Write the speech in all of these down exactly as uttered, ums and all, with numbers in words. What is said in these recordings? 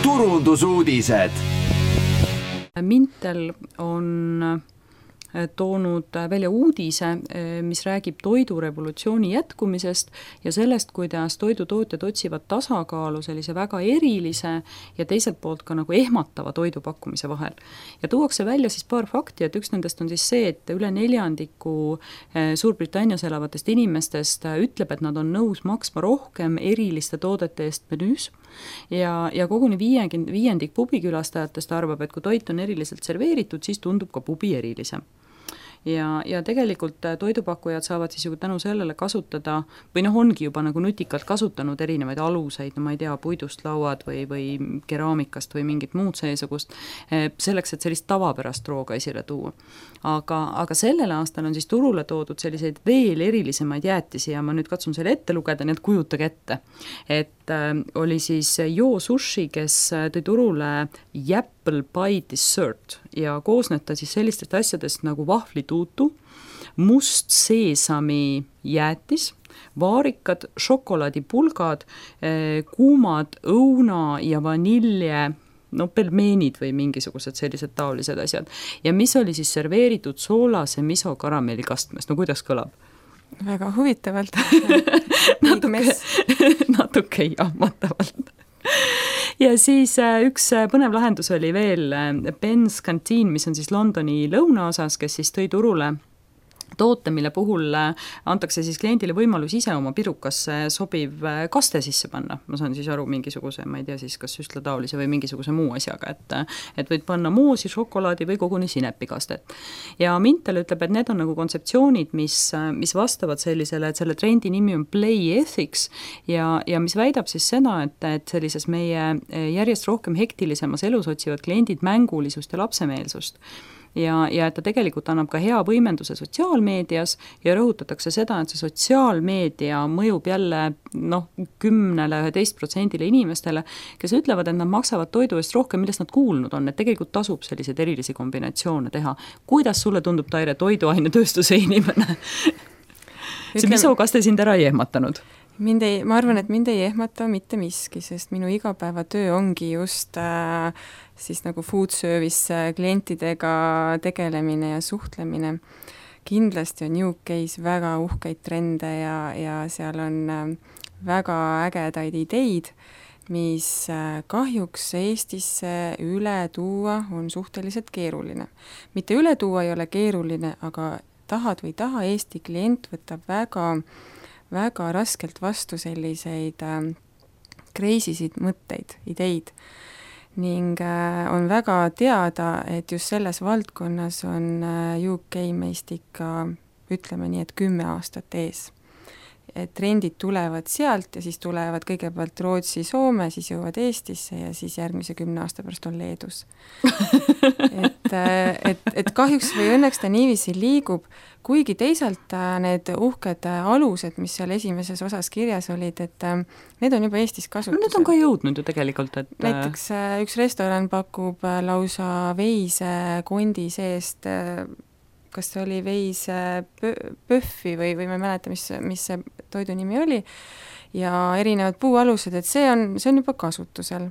turundusuudised. Mintel on toonud välja uudise, mis räägib toidurevolutsiooni jätkumisest ja sellest, kuidas toidutootjad otsivad tasakaalu sellise väga erilise ja teiselt poolt ka nagu ehmatava toidupakkumise vahel. Ja tuuakse välja siis paar fakti, et üks nendest on siis see, et üle neljandiku Suurbritannias elavatest inimestest ütleb, et nad on nõus maksma rohkem eriliste toodete eest menüüs ja, ja koguni viiendik, viiendik pubikülastajatest arvab, et kui toit on eriliselt serveeritud, siis tundub ka pubi erilisem. Ja, ja tegelikult toidupakkujad saavad siis ju tänu sellele kasutada, või noh, ongi juba nagu nutikalt kasutanud erinevaid aluseid, no ma ei tea, puidust lauad või, või keraamikast või mingit muud seesugust, selleks, et sellist tavapärast rooga esile tuua. Aga, aga sellel aastal on siis turule toodud selliseid veel erilisemaid jäätisi ja ma nüüd katsun selle ette lugeda, nii et kujutage ette. Et äh, oli siis Yo Sushi, kes tõi turule Apple Pie Dessert ja koosneb ta siis sellistest asjadest nagu vahvlituutu, must seesami jäätis, vaarikad, šokolaadipulgad, kuumad õuna ja vanilje, no pelmeenid või mingisugused sellised taolised asjad. Ja mis oli siis serveeritud soolase miso karamellikastmes, no kuidas kõlab? Väga huvitavalt. natuke, natuke jahmatavalt. Ja siis üks põnev lahendus oli veel Ben's Canteen, mis on siis Londoni lõunaosas, kes siis tõi turule toote, mille puhul antakse siis kliendile võimalus ise oma pirukasse sobiv kaste sisse panna. Ma saan siis aru mingisuguse, ma ei tea siis, kas süstlataolise või mingisuguse muu asjaga, et, et võid panna moosi, šokolaadi või koguni sinepikastet. Ja Mintel ütleb, et need on nagu kontseptsioonid, mis, mis vastavad sellisele, et selle trendi nimi on Play Ethics ja, ja mis väidab siis seda, et, et sellises meie järjest rohkem hektilisemas elus otsivad kliendid mängulisust ja lapsemeelsust. Ja, ja et ta tegelikult annab ka hea võimenduse sotsiaalmeedias ja rõhutatakse seda, et see sotsiaalmeedia mõjub jälle noh, kümnele, üheteist protsendile inimestele, kes ütlevad, et nad maksavad toidu eest rohkem, millest nad kuulnud on, et tegelikult tasub selliseid erilisi kombinatsioone teha. Kuidas sulle tundub, Taire, toiduainetööstuse inimene? See miso, kas te sind ära ei ehmatanud? Mind ei, ma arvan, et mind ei ehmata mitte miski, sest minu igapäevatöö ongi just äh, siis nagu food service klientidega tegelemine ja suhtlemine. Kindlasti on U K's väga uhkeid trende ja, ja seal on äh, väga ägedaid ideid, mis äh, kahjuks Eestisse üle tuua on suhteliselt keeruline. Mitte üle tuua ei ole keeruline, aga tahad või taha, Eesti klient võtab väga väga raskelt vastu selliseid äh, kreisisid mõtteid, ideid ning äh, on väga teada, et just selles valdkonnas on äh, U K meist ikka, ütleme nii, et kümme aastat ees. Et trendid tulevad sealt ja siis tulevad kõigepealt Rootsi, Soome, siis jõuavad Eestisse ja siis järgmise kümne aasta pärast on Leedus. et, et, et kahjuks või õnneks ta niiviisi liigub, kuigi teisalt need uhked alused, mis seal esimeses osas kirjas olid, et need on juba Eestis kasutusel. No need on ka jõudnud ju tegelikult. Et... näiteks üks restoran pakub lausa veise kondi seest, kas see oli veis pöffi või, või ma ei mäleta, mis, mis see toidu nimi oli, ja erinevad puualused, et see on, see on juba kasutusel.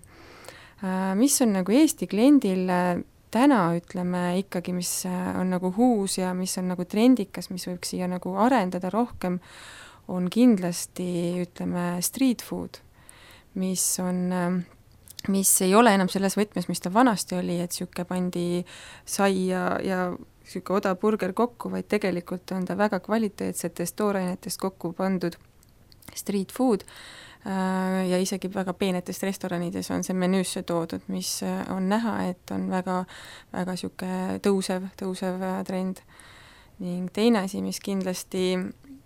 Mis on nagu Eesti kliendil täna, ütleme ikkagi, mis on nagu huus ja mis on nagu trendikas, mis võiks siia nagu arendada rohkem, on kindlasti, ütleme, street food, mis on... mis ei ole enam selles võtmes, mis ta vanasti oli, et siuke pandi sai ja, ja siuke odav burger kokku, vaid tegelikult on ta väga kvaliteetsetest toorainetest kokku pandud street food ja isegi väga peenetest restoranides on see menüüsse toodud, mis on näha, et on väga, väga siuke tõusev, tõusev trend. Ning teine asi, mis kindlasti,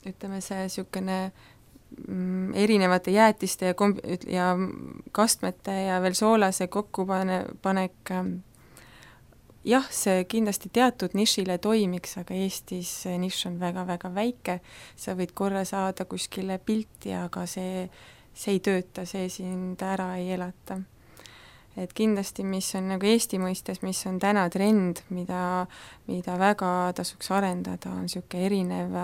ütleme see siukene erinevate jäätiste ja, komb- ja kastmete ja veel soolase kokkupanek, jah, see kindlasti teatud nišile toimiks, aga Eestis see nišš on väga-väga väike, sa võid korra saada kuskile pilti, aga see, see ei tööta, see sind ära ei elata. Et kindlasti, mis on nagu Eesti mõistes, mis on täna trend, mida, mida väga tasuks arendada, on siuke erinev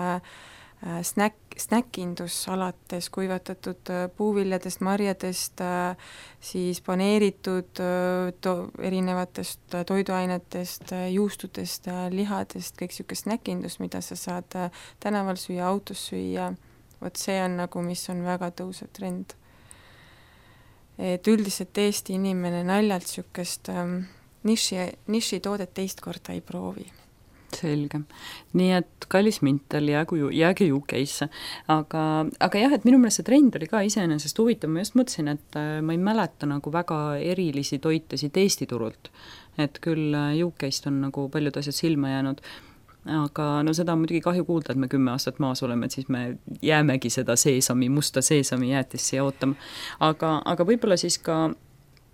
snäk, snäkindus alates kuivatatud puuviljadest, marjadest, siis paneeritud to, erinevatest toiduainetest, juustudest, lihadest, kõik niisugune snäkindus, mida sa saad tänaval süüa, autos süüa, vot see on nagu, mis on väga tõusev trend. Et üldiselt Eesti inimene naljalt niisugust niši, nišitoodet teist korda ei proovi. Selge. Nii et kallis Mintel, jäägu, jääge U K-sse. Aga, aga jah, et minu meelest see trend oli ka iseenesest huvitav, ma just mõtlesin, et ma ei mäleta nagu väga erilisi toitesid Eesti turult. Et küll U K-st on nagu paljud asjad silma jäänud, aga no seda on muidugi kahju kuulda, et me kümme aastat maas oleme, et siis me jäämegi seda seesami, musta seesami jäätist siia ootama. Aga, aga võib-olla siis ka,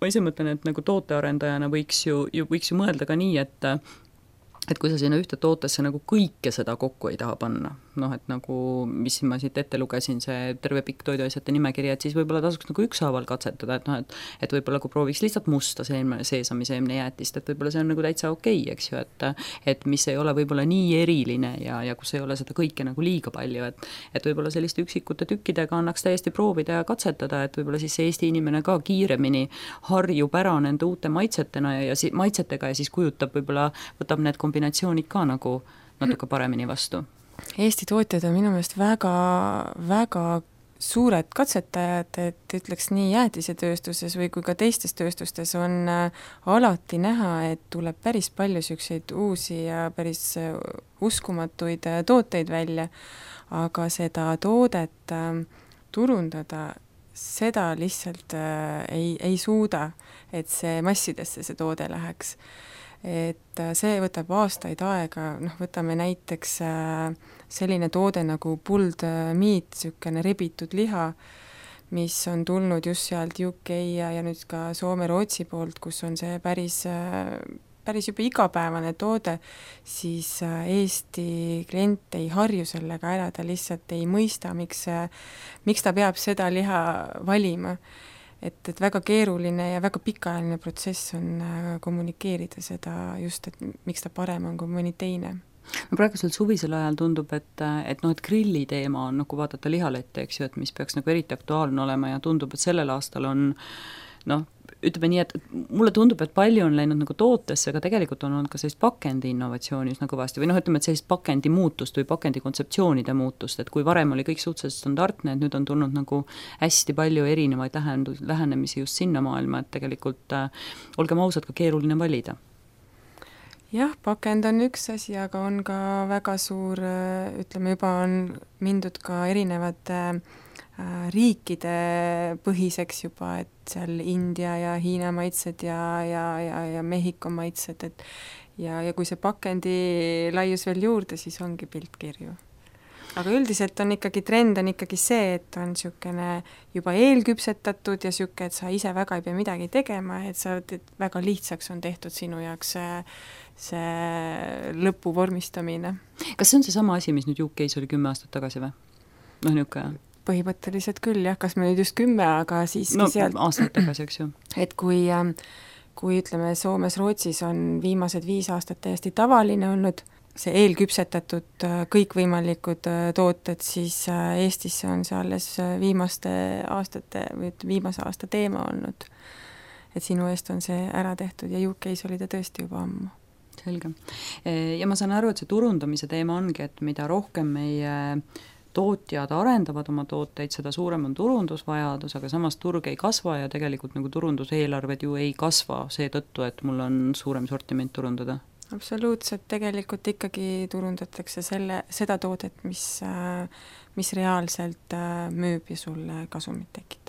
ma ise mõtlen, et nagu tootearendajana võiks ju, ju, võiks ju mõelda ka nii, et et kui sa sinna ühte tootesse nagu kõike seda kokku ei taha panna, noh, et nagu, mis ma siit ette lugesin, see terve pikk toiduasjate nimekiri, et siis võib-olla tasuks nagu ükshaaval katsetada, et noh, et, et võib-olla kui prooviks lihtsalt musta seemne, seesami seemne jäätist, et võib-olla see on nagu täitsa okei, eks ju, et, et mis ei ole võib-olla nii eriline ja, ja kus ei ole seda kõike nagu liiga palju, et, et võib-olla selliste üksikute tükkidega annaks täiesti proovida ja katsetada, et võib-olla siis Eesti inimene ka kiiremini harjub ära nende uute maitsetena ja, ja si, maitsetega ja siis kujutab võib-olla, võtab need kombinatsioonid ka nagu natuke paremini vastu. Eesti tootjad on minu meelest väga, väga suured katsetajad, et ütleks nii jäätisetööstuses või kui ka teistes tööstustes on alati näha, et tuleb päris palju selliseid uusi ja päris uskumatuid tooteid välja, aga seda toodet turundada, seda lihtsalt ei, ei suuda, et see massidesse see toode läheks. Et see võtab aastaid aega, noh, võtame näiteks selline toode nagu pulled meat, niisugune rebitud liha, mis on tulnud just sealt U K ja, ja nüüd ka Soome-Rootsi poolt, kus on see päris, päris juba igapäevane toode, siis Eesti klient ei harju sellega ära, ta lihtsalt ei mõista, miks, miks ta peab seda liha valima. Et, et väga keeruline ja väga pikaajaline protsess on kommunikeerida seda just, et miks ta parem on kui mõni teine. No praegusel suvisel ajal tundub, et, et, no, et grilli teema on, nagu vaadata lihalette, eks ju, et mis peaks nagu eriti aktuaalne olema ja tundub, et sellel aastal on, noh, ütleme nii, et mulle tundub, et palju on läinud nagu tootesse, aga tegelikult on olnud ka sellist pakendi innovatsiooni üsna kõvasti või noh, ütleme, et sellist pakendi muutust või pakendi kontseptsioonide muutust, et kui varem oli kõik suhteliselt standardne, et nüüd on tulnud nagu hästi palju erinevaid lähendus, lähenemisi just sinna maailma, et tegelikult äh, olgem ausad, ka keeruline valida. Jah, pakend on üks asi, aga on ka väga suur, ütleme juba on mindud ka erinevate riikide põhiseks juba, et seal India ja Hiina maitsed ja, ja, ja, ja Mehhiko maitsed, et ja, ja kui see pakendi laius veel juurde, siis ongi pilt kirju. Aga üldiselt on ikkagi trend on ikkagi see, et on niisugune juba eelküpsetatud ja niisugune, et sa ise väga ei pea midagi tegema, et sa, et väga lihtsaks on tehtud sinu jaoks see, see lõpu vormistamine. Kas see on see sama asi, mis nüüd U K-s oli kümme aastat tagasi või? Noh, niisugune põhimõtteliselt küll, jah, kas me nüüd just kümme, aga siiski no, sealt aastat tagasi, eks ju. Et kui, kui ütleme, Soomes, Rootsis on viimased viis aastat täiesti tavaline olnud see eelküpsetatud kõikvõimalikud tooted, siis Eestisse on see alles viimaste aastate või viimase aasta teema olnud. Et sinu eest on see ära tehtud ja U K-s oli ta tõesti juba ammu. Selge. Ja ma saan aru, et see turundamise teema ongi, et mida rohkem meie tootjad arendavad oma tooteid, seda suurem on turundusvajadus, aga samas turg ei kasva ja tegelikult nagu turunduseelarved ju ei kasva seetõttu, et mul on suurem sortiment turundada. Absoluutselt, tegelikult ikkagi turundatakse selle, seda toodet, mis, mis reaalselt müüb ja sulle kasumit tekib.